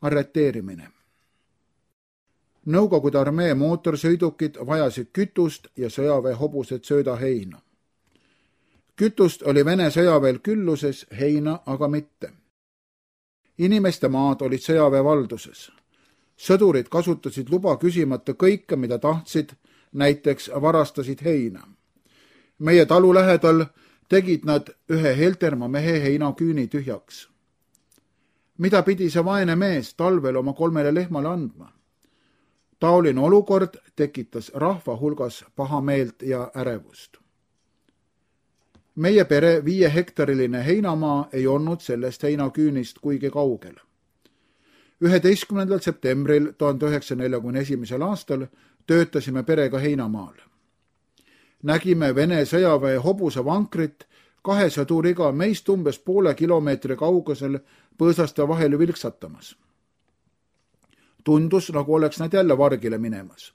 arreteerimine. Nõukogude armee mootorsõidukid vajasid kütust ja sõjaväe hobused söödaheina. Kütust oli Vene sõjaväel külluses, heina aga mitte. Inimeste maad olid sõjaväe valduses. Sõdurid kasutasid luba küsimata kõike, mida tahtsid, näiteks varastasid heina. Meie talu lähedal tegid nad ühe Heltermaa mehe heinaküüni tühjaks. Mida pidi see vaene mees talvel oma 3 lehmale andma? Taoline olukord tekitas rahva hulgas pahameelt ja ärevust. Meie pere 5-hektariline heinamaa ei olnud sellest heinaküünist kuigi kaugel. 11. septembril 1941. aastal töötasime perega heinamaal. Nägime Vene sõjaväe hobuse vankrit 2 sõduriga meist umbes poole kilomeetri kaugusel põõsaste vahel vilksatamas. Tundus, nagu oleks nad jälle vargile minemas.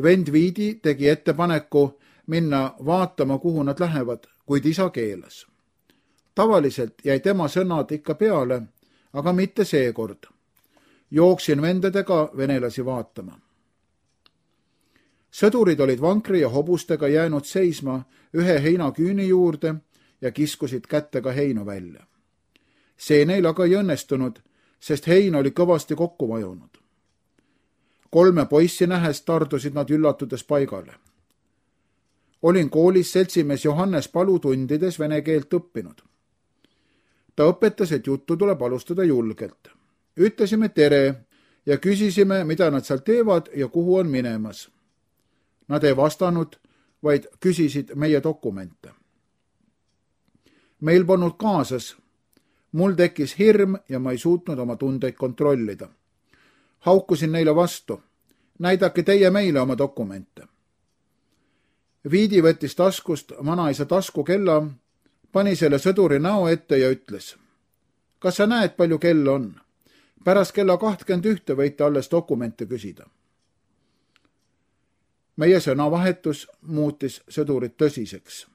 Vend Viidi tegi ettepaneku minna vaatama, kuhu nad lähevad, kuid isa keelas. Tavaliselt jäi tema sõnad ikka peale, aga mitte seekord. Jooksin vendadega venelasi vaatama. Sõdurid olid vankri ja hobustega jäänud seisma ühe heinaküüni juurde ja kiskusid kättega heinu välja. See neil aga ei õnnestunud, sest hein oli kõvasti kokku vajunud. 3 poissi nähes tardusid nad üllatudes paigale. Olin koolis seltsimees Johannes Palu tundides vene keelt õppinud. Ta õpetas, et juttu tuleb alustada julgelt. Ütlesime tere ja küsisime, mida nad seal teevad ja kuhu on minemas. Nad ei vastanud, vaid küsisid meie dokumente. Meil polnud kaasas. Mul tekkis hirm ja ma ei suutnud oma tundeid kontrollida. Haukusin neile vastu. Näidake teie meile oma dokumente. Viidi võttis taskust vanaisa taskukella, pani selle sõduri näo ette ja ütles: kas sa näed, palju kell on? Pärast kella 21 võite alles dokumente küsida. Meie sõnavahetus muutis sõdurit tõsiseks.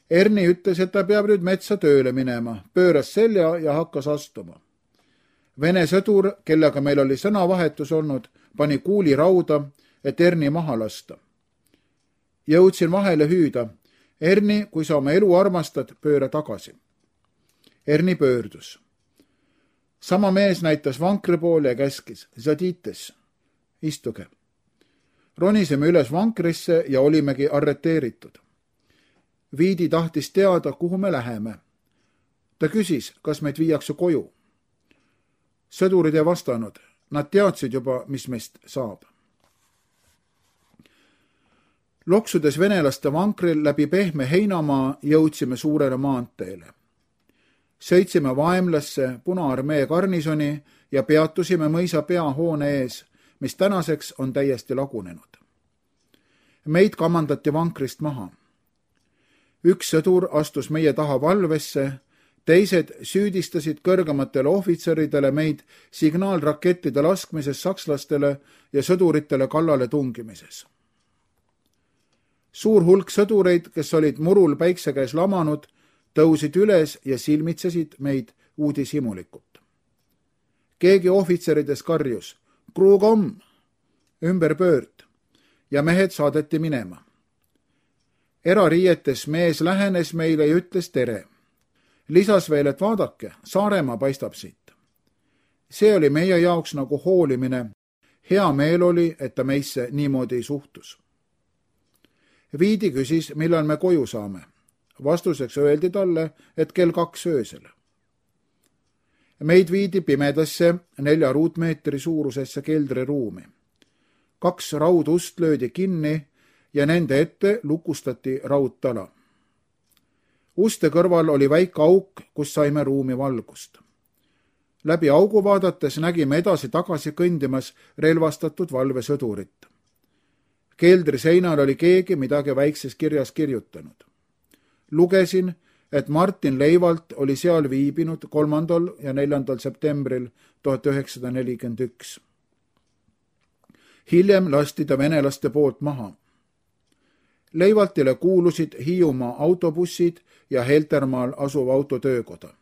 Erni ütles, et ta peab nüüd metsa tööle minema, pööras selja ja hakkas astuma. Vene sõdur, kellega meil oli sõnavahetus olnud, pani kuuli rauda, et Erni maha lasta. Jõudsin vahele hüüda: Erni, kui sa oma elu armastad, pööra tagasi. Erni pöördus. Sama mees näitas vankri poole ja käskis: Zadites, istuge. Ronisime üles vankrisse ja olimegi arreteeritud. Viidi tahtis teada, kuhu me läheme. Ta küsis, kas meid viiakse koju. Sõdurid ei vastanud. Nad teadsid juba, mis meist saab. Loksudes venelaste vankril läbi pehme heinamaa jõudsime suurele maanteele. Sõitsime Vaemlasse Punaarmee garnisoni ja peatusime mõisa peahoone ees, mis tänaseks on täiesti lagunenud. Meid kamandati vankrist maha. Üks sõdur astus meie taha valvesse, teised süüdistasid kõrgematele ohvitseridele meid signaalrakettide laskmises sakslastele ja sõduritele kallale tungimises. Suur hulk sõdureid, kes olid murul päikse käes lamanud, tõusid üles ja silmitsesid meid uudishimulikult. Keegi ohvitserides karjus: Kruugom, ümber pöörd, ja mehed saadeti minema. Erariietes mees lähenes meile ja ütles tere. Lisas veel, et vaadake, Saaremaa paistab siit. See oli meie jaoks nagu hoolimine. Hea meel oli, et ta meisse niimoodi ei suhtus. Viidi küsis, millal me koju saame. Vastuseks öeldi talle, et kell 2 öösel. Meid viidi pimedasse 4 ruutmeetri suurusesse keldriruumi. 2 raudust löödi kinni ja nende ette lukustati raudtala. Uste kõrval oli väike auk, kus saime ruumi valgust. Läbi augu vaadates nägime edasi-tagasi kõndimas relvastatud valvesõdurit. Keldri seinal oli keegi midagi väikses kirjas kirjutanud. Lugesin, et Martin Leivalt oli seal viibinud 3. ja 4. septembril 1941. Hiljem lasti ta venelaste poolt maha. Leivaltile kuulusid Hiiumaa autobussid ja Heltermaal asuv autotöökoda.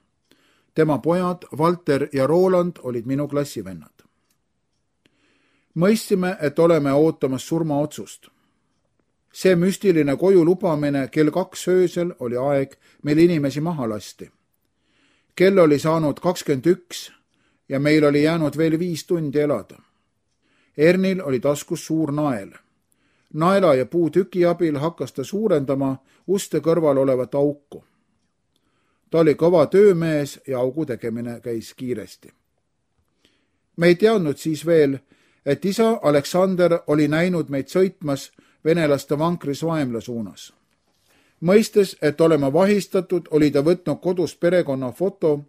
tema pojad Valter ja Roland olid minu klassivennad. Mõistsime, et oleme ootamas surmaotsust. See müstiline koju lubamine kell 2 öösel oli aeg, mil inimesi maha lasti. Kell oli saanud 21 ja meil oli jäänud veel 5 tundi elada. Ernil oli taskus suur nael. Naela ja puutüki abil hakkas ta suurendama uste kõrval olevat auku. Ta oli kõva töömees ja augu tegemine käis kiiresti. Me ei teadnud siis veel, et isa Aleksander oli näinud meid sõitmas venelaste vankris vaemla suunas. Mõistes, et oleme vahistatud, oli ta võtnud kodust perekonna foto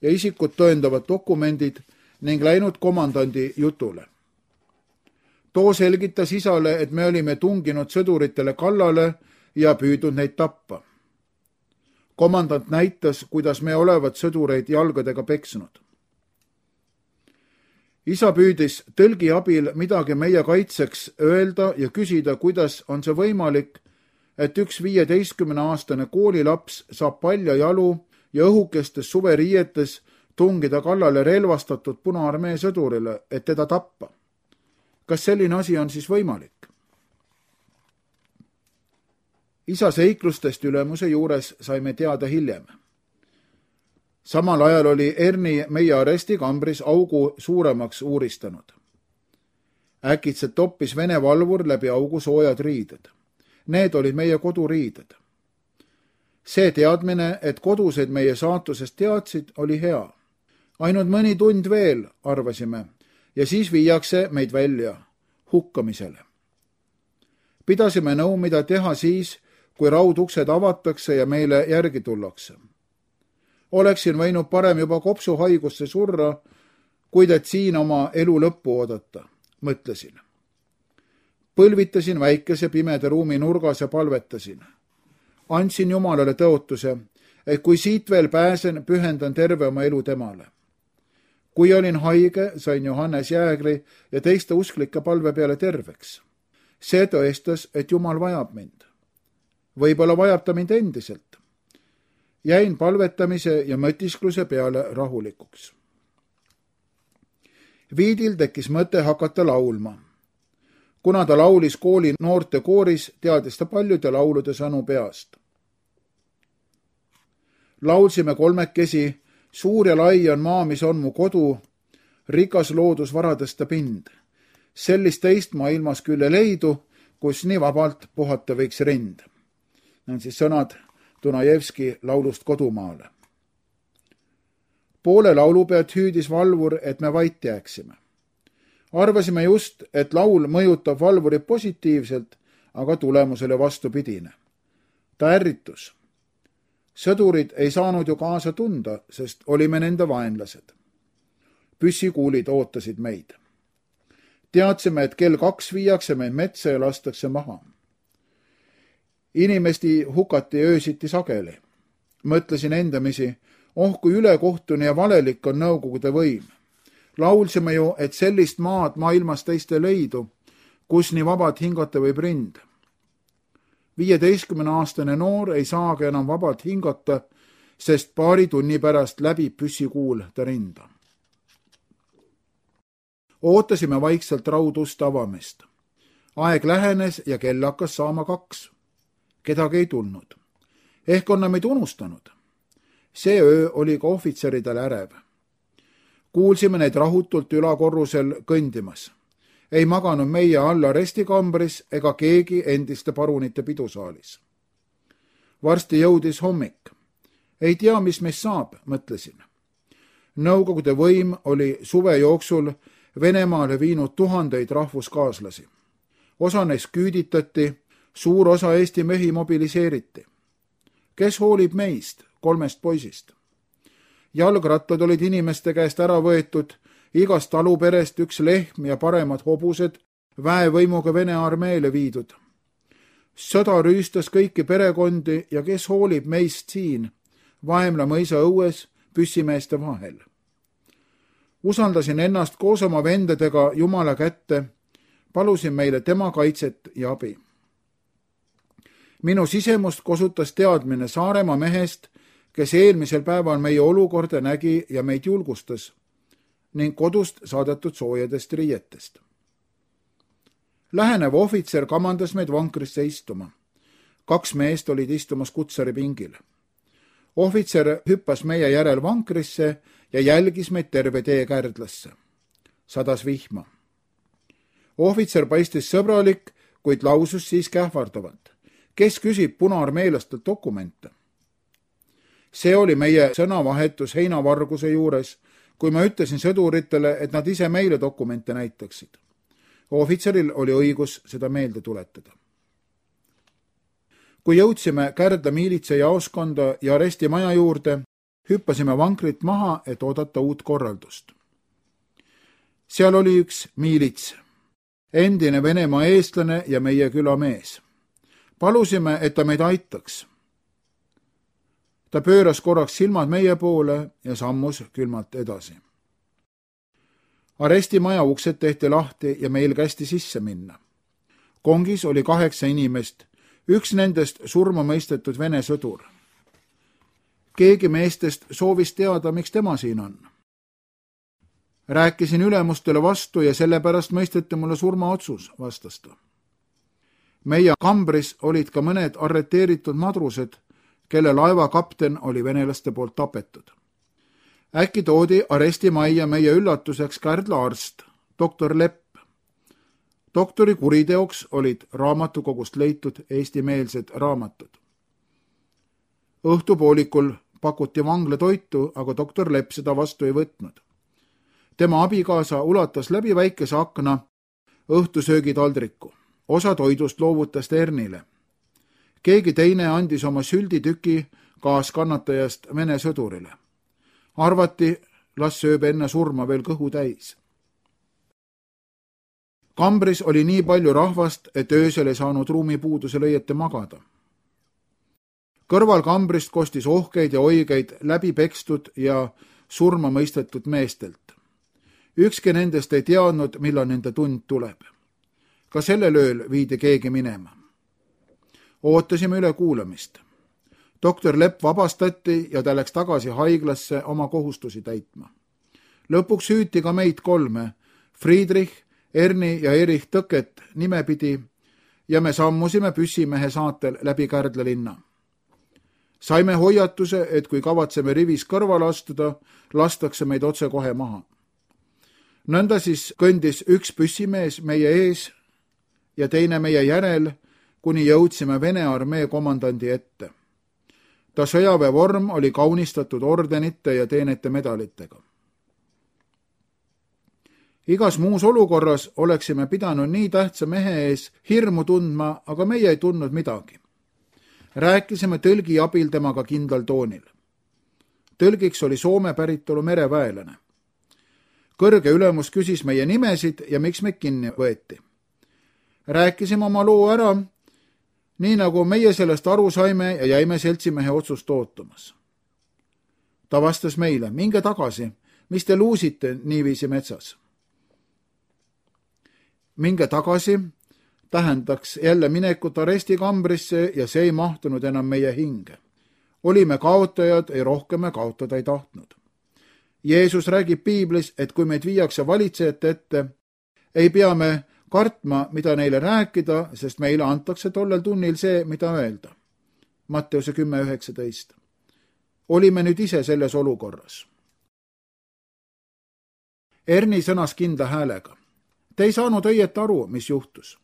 ja isikut tõendavad dokumendid ning läinud komandandi jutule. Too selgitas isale, et me olime tunginud sõduritele kallale ja püüdnud neid tappa. Komandant näitas, kuidas me olevat sõdureid jalgadega peksnud. Isa püüdis tõlgi abil midagi meie kaitseks öelda ja küsida, kuidas on see võimalik, et üks 15-aastane koolilaps saab palja jalu ja õhukestes suveriietes tungida kallale relvastatud Punaarmee sõdurile, et teda tappa. Kas selline asi on siis võimalik? Isa seiklustest ülemuse juures saime teada hiljem. Samal ajal oli Erni meie arestikambris augu suuremaks uuristanud. Äkitselt toppis Vene valvur läbi augu soojad riided. Need olid meie koduriided. See teadmine, et kodused meie saatusest teadsid, oli hea. Ainult mõni tund veel, arvasime, ja siis viiakse meid välja hukkamisele. Pidasime nõu, mida teha siis, kui rauduksed avatakse ja meile järgi tullakse. Oleksin võinud parem juba kopsuhaigusse surra, kuid et siin oma elu lõppu oodata, mõtlesin. Põlvitasin väikese pimeda ruumi nurgas ja palvetasin. Andsin Jumalale tõotuse, et kui siit veel pääsen, pühendan terve oma elu temale. Kui olin haige, sain Johannes Jäägri ja teiste usklike palve peale terveks. See tõestas, et Jumal vajab mind. Võib-olla vajab ta mind endiselt. Jäin palvetamise ja mõtiskluse peale rahulikuks. Viidil tekkis mõte hakata laulma. Kuna ta laulis kooli noorte kooris, teadis ta paljude laulude sõnu peast. Laulsime kolmekesi, suur ja lai on maa, mis on mu kodu, rikas loodusvaradest ta pind. Sellist teist maailmas küll ei leidu, kus nii vabalt puhata võiks rind. Need on siis sõnad Dunajevski laulust Kodumaale. Poole laulupead hüüdis valvur, et me vait jääksime. Arvasime just, et laul mõjutab valvurit positiivselt, aga tulemus oli vastupidine. Ta ärritus. Sõdurid ei saanud ju kaasa tunda, sest olime nende vaenlased. Püssikuulid ootasid meid. Teadsime, et kell 2 viiakse meid metsa ja lastakse maha. Inimesti hukati öösiti sageli. Mõtlesin endamisi, kui ülekohtune ja valelik on nõukogude võim. Laulsime ju, et sellist maad maailmas teiste leidu, kus nii vabad hingata võib rind. 15-aastane noor ei saagi enam vabalt hingata, sest paari tunni pärast läbib püssikuul ta rinda. Ootasime vaikselt raudust avamist. Aeg lähenes ja kell hakkas saama 2. Kedagi ei tulnud. Ehk on meid unustanud. See öö oli ka ohvitseridel ärev. Kuulsime neid rahutult ülakorrusel kõndimas. Ei maganud meie all arestikambris ega keegi endiste parunite pidusaalis. Varsti jõudis hommik. Ei tea, mis meist saab, mõtlesin. Nõukogude võim oli suve jooksul Venemaale viinud tuhandeid rahvuskaaslasi. Osa neist küüditati, suur osa Eesti mehi mobiliseeriti. Kes hoolib meist, 3 poisist? Jalgrattad olid inimeste käest ära võetud, igast taluperest 1 lehm ja paremad hobused väevõimuga Vene armeele viidud. Sõda rüüstas kõiki perekondi ja kes hoolib meist siin, Vaemla mõisa õues, püssimeeste vahel. Usaldasin ennast koos oma vendadega Jumala kätte, palusin meile tema kaitset ja abi. Minu sisemust kosutas teadmine Saaremaa mehest, kes eelmisel päeval meie olukorda nägi ja meid julgustas ning kodust saadetud soojadest riietest. Lähenev ohvitser kamandas meid vankrisse istuma. 2 meest olid istumas kutsaripingil. Ohvitser hüppas meie järel vankrisse ja jälgis meid terve tee Kärdlasse. Sadas vihma. Ohvitser paistis sõbralik, kuid lausus siiski ähvardavalt. Kes küsib punaarmeelastelt dokumente? See oli meie sõnavahetus heinavarguse juures, kui ma ütlesin sõduritele, et nad ise meile dokumente näitaksid. Ohvitseril oli õigus seda meelde tuletada. Kui jõudsime Kärdla miilitsa jaoskonda ja arestimaja juurde, hüppasime vankrit maha, et oodata uut korraldust. Seal oli üks miilits, endine Venemaa eestlane ja meie külamees. Palusime, et ta meid aitaks. Ta pööras korraks silmad meie poole ja sammus külmalt edasi. Arestimaja uksed tehti lahti ja meil kästi sisse minna. Kongis oli 8 inimest, üks nendest surma mõistetud Vene sõdur. Keegi meestest soovis teada, miks tema siin on. Rääkisin ülemustele vastu ja sellepärast mõisteti mulle surmaotsus, vastas ta. Meie kambris olid ka mõned arreteeritud madrused, kelle laeva kapten oli venelaste poolt tapetud. Äkki toodi arestimajja meie üllatuseks Kärdla arst, doktor Lepp. Doktori kuriteoks olid raamatukogust leitud eestimeelsed raamatud. Õhtupoolikul pakuti vanglatoitu, aga doktor Lepp seda vastu ei võtnud. Tema abikaasa ulatas läbi väikese akna õhtusöögitaldriku. Osa toidust loovutas Ernile. Keegi teine andis oma sülditüki kaaskannatajast Vene sõdurile. Arvati, las sööb enne surma veel kõhu täis. Kambris oli nii palju rahvast, et öösel ei saanud ruumipuudusel õieti magada. Kõrval kambrist kostis ohkeid ja oigeid läbi pekstud ja surma mõistetud meestelt. Ükski nendest ei teadnud, millal nende tund tuleb. Ka sellel ööl viidi keegi minema. Ootasime üle kuulamist. Doktor Lepp vabastati ja ta läks tagasi haiglasse oma kohustusi täitma. Lõpuks hüüti ka meid 3, Friedrich, Erni ja Erich Tõket nimepidi ja me sammusime püssimehe saatel läbi Kärdla linna. Saime hoiatuse, et kui kavatseme rivis kõrvale astuda, lastakse meid otse kohe maha. Nõnda siis kõndis üks püssimees meie ees ja teine meie järel, kuni jõudsime Vene armee komandandi ette. Ta sõjaväevorm oli kaunistatud ordenite ja teenete medalitega. Igas muus olukorras oleksime pidanud nii tähtsa mehe ees hirmu tundma, aga meie ei tundnud midagi. Rääkisime tõlgi abil temaga kindlal toonil. Tõlgiks oli Soome päritolu mereväelane. Kõrge ülemus küsis meie nimesid ja miks meid kinni võeti. Rääkisime oma loo ära, nii nagu meie sellest aru saime ja jäime seltsimehe otsust ootamas. Ta vastas meile, minge tagasi, mis te luusite niiviisi metsas. Minge tagasi tähendaks jälle minekut arestikambrisse ja see ei mahtunud enam meie hinge. Olime kaotajad ja rohkem me kaotada ei tahtnud. Jeesus räägib piiblis, et kui meid viiakse valitsejate ette, ei pea me kartma, mida neile rääkida, sest meile antakse tollel tunnil see, mida öelda. Matteuse 10:19. Olime nüüd ise selles olukorras. Erni sõnas kindla häälega. Te ei saanud õieti aru, mis juhtus.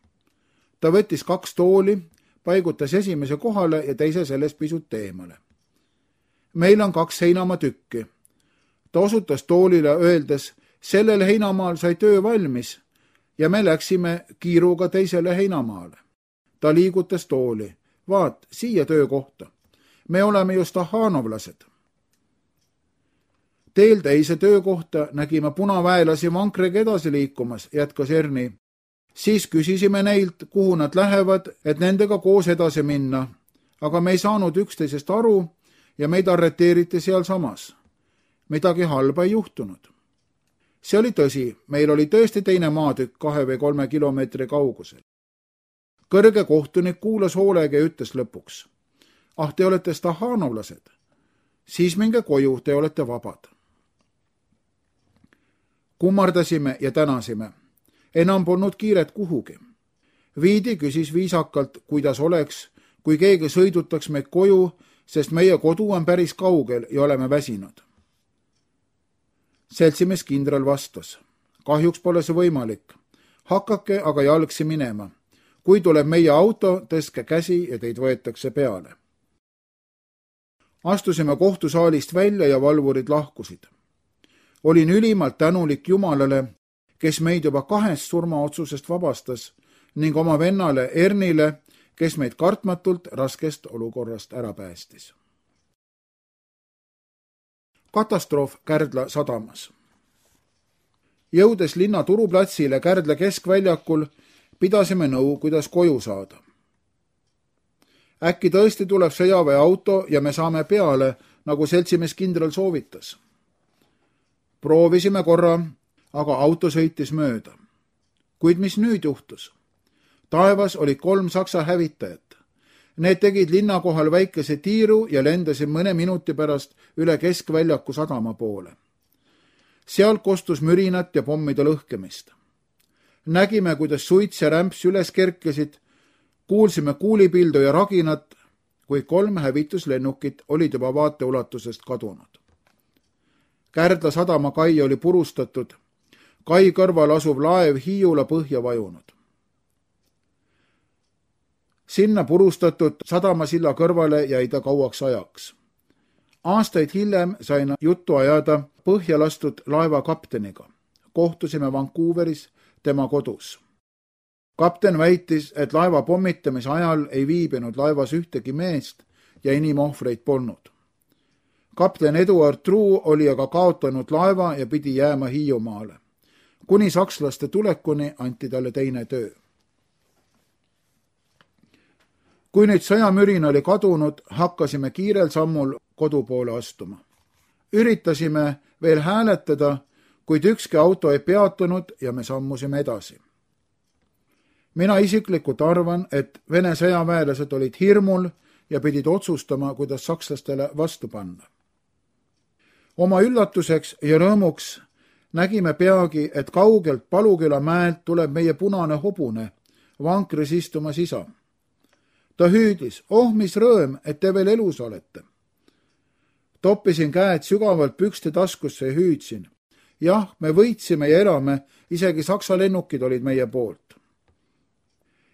Ta võttis 2 tooli, paigutas esimese kohale ja teise sellest pisut eemale. Meil on 2 heinamaa tükki. Ta osutas toolile öeldes, sellel heinamaal sai töö valmis ja me läksime kiiruga teisele heinamaale. Ta liigutas tooli. Vaat, siia töökohta. Me oleme ju stahanovlased. Teel teise töökohta nägime punaväelasi vankriga edasi liikumas, jätkas Erni. Siis küsisime neilt, kuhu nad lähevad, et nendega koos edasi minna, aga me ei saanud üksteisest aru ja meid arreteeriti sealsamas. Midagi halba ei juhtunud. See oli tõsi, meil oli tõesti teine maatükk 2 või 3 kilomeetri kaugusel. Kõrge kohtunik kuulas hoolega ja ütles lõpuks. Ah, te olete stahanovlased. Siis minge koju, te olete vabad. Kummardasime ja tänasime. Enam polnud kiiret kuhugi. Viidi küsis viisakalt, kuidas oleks, kui keegi sõidutaks meid koju, sest meie kodu on päris kaugel ja oleme väsinud. Seltsimees kindral vastas. Kahjuks pole see võimalik. Hakake aga jalgsi minema. Kui tuleb meie auto, tõstke käsi ja teid võetakse peale. Astusime kohtusaalist välja ja valvurid lahkusid. Olin ülimalt tänulik Jumalale, kes meid juba 2 surmaotsusest vabastas ning oma vennale Ernile, kes meid kartmatult raskest olukorrast ära päästis. Katastroof Kärdla sadamas. Jõudes linna turuplatsile Kärdla keskväljakul, pidasime nõu, kuidas koju saada. Äkki tõesti tuleb sõjaväeauto ja me saame peale, nagu seltsimees kindral soovitas. Proovisime korra, aga auto sõitis mööda. Kuid mis nüüd juhtus? Taevas olid 3 saksa hävitajat. Need tegid linna kohal väikese tiiru ja lendasid mõne minuti pärast üle keskväljaku sadama poole. Sealt kostus mürinat ja pommide lõhkemist. Nägime, kuidas suits ja rämps üles kerkesid, kuulsime kuulipildu ja raginat, kui 3 hävituslennukit olid juba vaateulatusest kadunud. Kärdla sadama kai oli purustatud, kai kõrval asuv laev Hiiula põhja vajunud. Sinna purustatud sadamasilla kõrvale jäi ta kauaks ajaks. Aastaid hiljem sain juttu ajada põhja lastud laeva kapteniga. Kohtusime Vancouveris tema kodus. Kapten väitis, et laeva pommitamise ajal ei viibinud laevas ühtegi meest ja inimohvreid polnud. Kapten Eduard Truu oli aga kaotanud laeva ja pidi jääma Hiiumaale. Kuni sakslaste tulekuni anti talle teine töö. Kui nüüd sõjamürin oli kadunud, hakkasime kiirel sammul kodu poole astuma. Üritasime veel hääletada, kuid ükski auto ei peatunud ja me sammusime edasi. Mina isiklikult arvan, et Vene sõjaväelased olid hirmul ja pidid otsustama, kuidas sakslastele vastu panna. Oma üllatuseks ja rõõmuks nägime peagi, et kaugelt Paluküla mäelt tuleb meie punane hobune, vankris istumas isa. Ta hüüdis, mis rõõm, et te veel elus olete. Toppisin käed sügavalt pükste taskusse ja hüüdsin. Jah, me võitsime ja elame, isegi saksa lennukid olid meie poolt.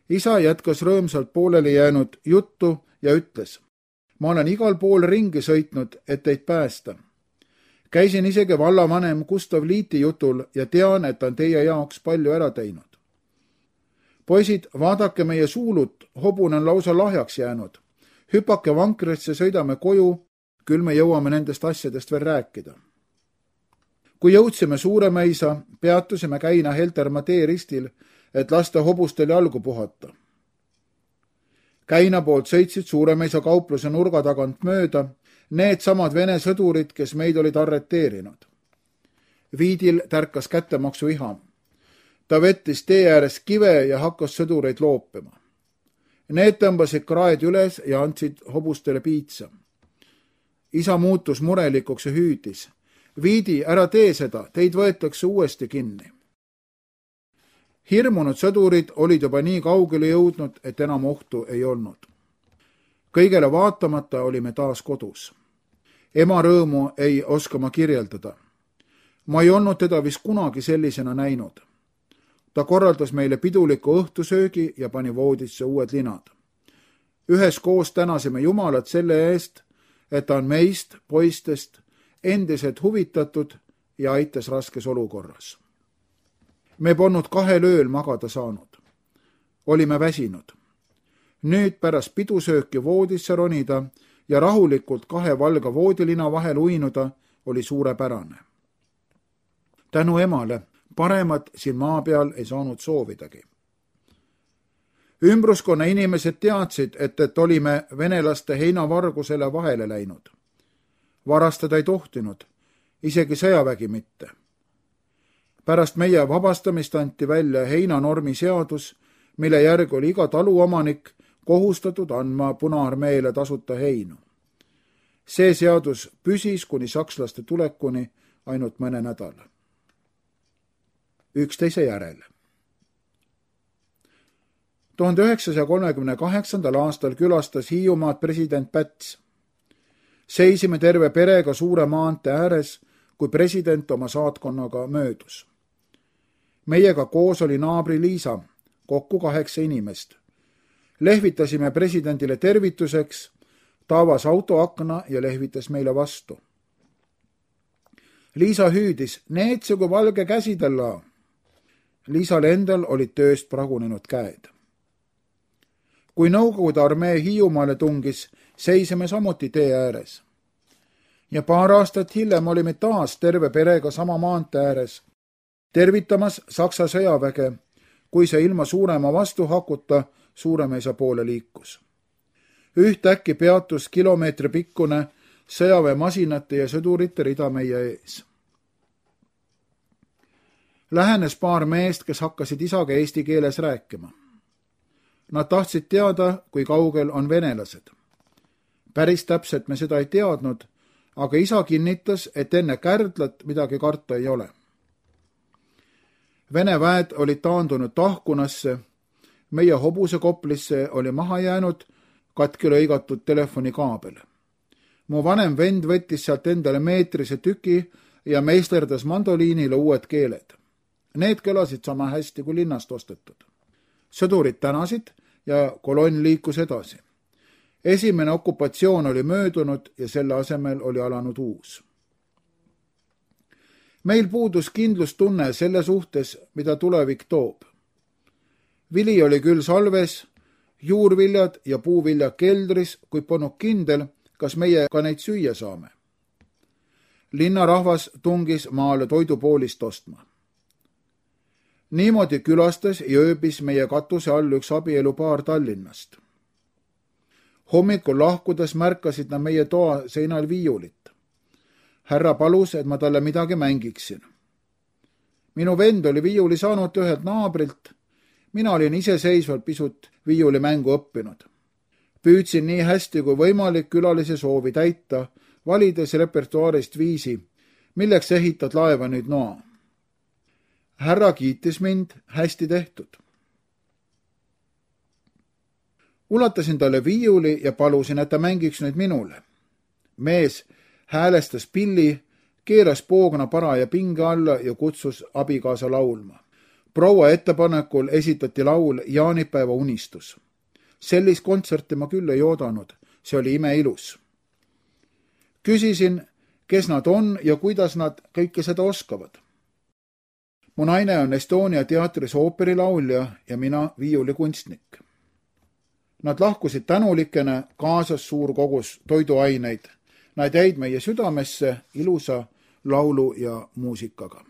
Isa jätkas rõõmsalt pooleli jäänud juttu ja ütles, ma olen igal pool ringi sõitnud, et teid päästa. Käisin isegi vallavanem Gustav Liiti jutul ja tean, et ta on teie jaoks palju ära teinud. Poisid, vaadake meie suulut, hobune on lausa lahjaks jäänud. Hüpake vankrisse, sõidame koju, küll me jõuame nendest asjadest veel rääkida. Kui jõudsime Suuremäisa, peatusime Käina Heltermaa teeristil, et lasta hobustel jalgu puhata. Käina poolt sõitsid Suuremäisa kaupluse nurga tagant mööda need samad Vene sõdurid, kes meid olid arreteerinud. Viidil tärkas kättemaksu iham. Ta vettis tee ääres kive ja hakkas sõdureid loopima. Need tõmbasid kraed üles ja andsid hobustele piitsa. Isa muutus murelikuks ja hüüdis. Viidi, ära tee seda, teid võetakse uuesti kinni. Hirmunud sõdurid olid juba nii kaugele jõudnud, et enam ohtu ei olnud. Kõigele vaatamata olime taas kodus. Ema rõõmu ei oska ma kirjeldada. Ma ei olnud teda vist kunagi sellisena näinud. Ta korraldas meile piduliku õhtusöögi ja pani voodisse uued linad. Üheskoos tänasime Jumalat selle eest, et ta on meist, poistest, endiselt huvitatud ja aitas raskes olukorras. Me polnud 2 ööl magada saanud. Olime väsinud. Nüüd pärast pidusööki voodisse ronida ja rahulikult 2 valga voodilina vahel uinuda oli suurepärane. Tänu emale, paremat siin maa peal ei saanud soovidagi. Ümbruskonna inimesed teadsid, et olime venelaste heinavargusele vahele läinud. Varastada ei tohtinud, isegi sõjavägi mitte. Pärast meie vabastamist anti välja heinanormi seadus, mille järgi oli iga taluomanik kohustatud andma Punaarmeele tasuta heinu. See seadus püsis kuni sakslaste tulekuni ainult mõne nädala. Üksteise järel. 1938. aastal külastas Hiiumaad president Päts. Seisime terve perega suure maantee ääres, kui president oma saatkonnaga möödus. Meiega koos oli naabri Liisa, kokku 8 inimest. Lehvitasime presidendile tervituseks, ta avas autoakna ja lehvitas meile vastu. Liisa hüüdis, neetsugu valge käsidella. Liisal endal olid tööst pragunenud käed. Kui Nõukogude armee Hiiumaale tungis, seisime samuti tee ääres. Ja paar aastat hiljem olime taas terve perega sama maantee ääres, tervitamas Saksa sõjaväge, kui see ilma suurema vastuhakuta Suuremeisa poole liikus. Ühtäkki peatus kilomeetri pikkune sõjaväemasinate ja sõdurite rida meie ees. Lähenes paar meest, kes hakkasid isaga eesti keeles rääkima. Nad tahtsid teada, kui kaugel on venelased. Päris täpselt me seda ei teadnud, aga isa kinnitas, et enne Kärdlat midagi karta ei ole. Vene väed olid taandunud Tahkunasse, meie Hobusekoplisse oli maha jäänud katki lõigatud telefonikaabel. Mu vanem vend võttis sealt endale meetrise tüki ja meisterdas mandoliinile uued keeled. Need kõlasid sama hästi kui linnast ostetud. Sõdurid tänasid ja kolonn liikus edasi. Esimene okupatsioon oli möödunud ja selle asemel oli alanud uus. Meil puudus kindlustunne selle suhtes, mida tulevik toob. Vili oli küll salves, juurviljad ja puuviljad keldris, kuid polnud kindel, kas meie ka neid süüa saame. Linnarahvas tungis maale toidupoolist ostma. Niimoodi külastas ja ööbis meie katuse all üks abielupaar Tallinnast. Hommikul lahkudes märkasid nad meie toa seinal viiulit. Härra palus, et ma talle midagi mängiksin. Minu vend oli viiuli saanud ühelt naabrilt. Mina olin iseseisvalt pisut viiulimängu õppinud. Püüdsin nii hästi kui võimalik külalise soovi täita, valides repertuaarist viisi, milleks ehitad laeva nüüd noa. Härra kiitis mind, hästi tehtud. Ulatasin talle viiuli ja palusin, et ta mängiks nüüd minule. Mees häälestas pilli, keeras poogna paraja pinge alla ja kutsus abikaasa laulma. Proua ettepanekul esitati laul Jaanipäeva unistus. Sellist kontserti ma küll ei oodanud, see oli imeilus. Küsisin, kes nad on ja kuidas nad kõike seda oskavad. Mu naine on Estonia teatris ooperilaulja ja mina viiulikunstnik. Nad lahkusid tänulikena, kaasas suur kogus toiduaineid. Nad jäid meie südamesse ilusa laulu ja muusikaga.